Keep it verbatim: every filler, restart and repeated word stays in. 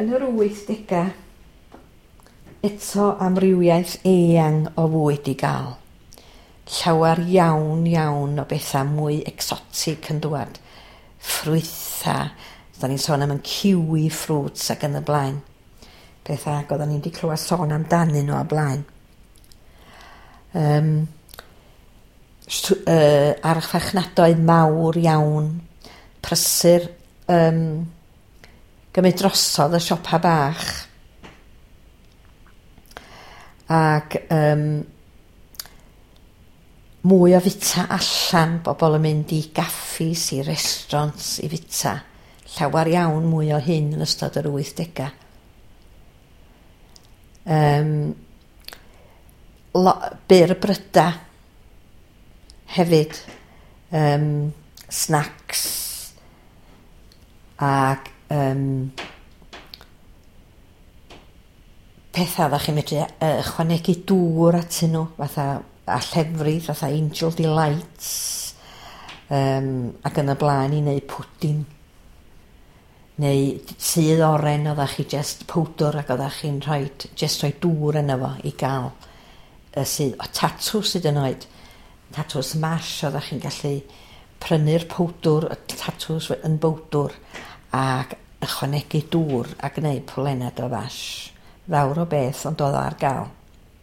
Yn yr wythdegau, eto amrywiaeth eang o fwyd i gael. Llawer iawn iawn o bethau mwy exotic yn dŵad. Ffrwytha, da ni'n sôn am yn kiwi fruits ac yn y blaen. Pethau ac oedden ni wedi clywed sôn amdanyn nhw o blaen. Um, uh, archfarchnadoedd mawr iawn, prysur, um, gymryd drosodd y siopa bach. Ac um, mwy o fita allan, bobl yn mynd i gaffis, i restaurants i fita. Llawer iawn mwy o hyn yn ystod yr wythdegau. Um, lo, byr bryda hefyd, um, snacks ac um, pethau oeddech chi'n medru uh, ychwanegu dŵr atyn nhw, fatha a llefrith, fatha Angel Delights, um, ac yn y blaen i wneud pwdin. Neu sudd oren, oeddech chi just powdwr ac oeddech chi'n rhoi, just rhoi dŵr yna fo i gael y sudd. O tatws hyd yn oed, tatws mash, oeddech chi'n gallu prynu'r powdwr, y tatws yn bowdwr, ac ychwanegu dŵr a gwneud pwlenad o fash. Fawr o beth, ond oedd o ar gael.